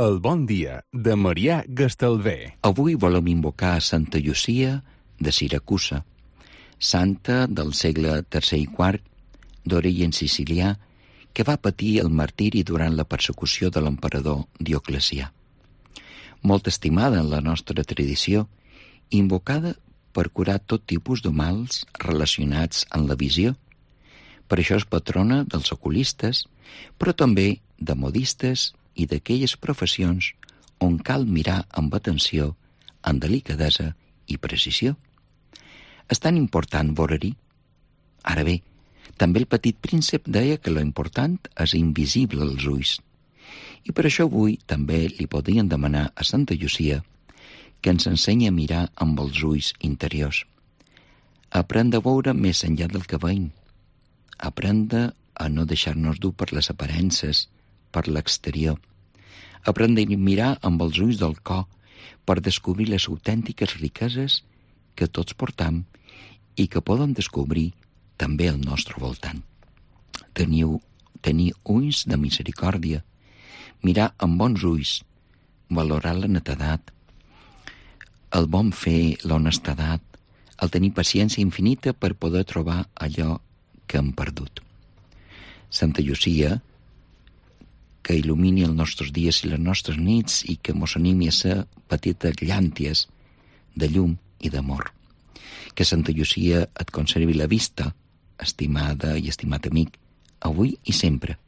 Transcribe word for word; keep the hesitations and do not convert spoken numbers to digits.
El bon dia de Marià Gastalver. Avui volem invocar a Santa Llucia de Siracusa, santa del segle tercer i quart, d'origen sicilià, que va patir el martiri durant la persecució de l'emperador Dioclecià. Molt estimada en la nostra tradició, invocada per curar tot tipus de mals relacionats amb la visió. Per això és patrona dels oculistes, però també de modistes i d'aquelles professions on cal mirar amb atenció, amb delicadesa i precisió. És tan important veure-hi. Ara bé, també el petit príncep deia que lo important és invisible als ulls. I per això avui també li podien demanar a Santa Llucia que ens ensenyi a mirar amb els ulls interiors. Aprendre a veure més enllà del que veiem. Aprendre a no deixar-nos dur per les aparences, per l'exterior. Aprendre a mirar amb els ulls del cor per descobrir les autèntiques riqueses que tots portam i que poden descobrir també al nostre voltant. Teniu, tenir ulls de misericòrdia, mirar amb bons ulls, valorar la netedat, el bon fer, l'honestedat, el tenir paciència infinita per poder trobar allò que hem perdut. Santa Llucia, que il·lumini els nostres dies i les nostres nits i que mos animi a ser petites llànties de llum i d'amor. Que Santa Llucia et conservi la vista, estimada i estimat amic, avui i sempre.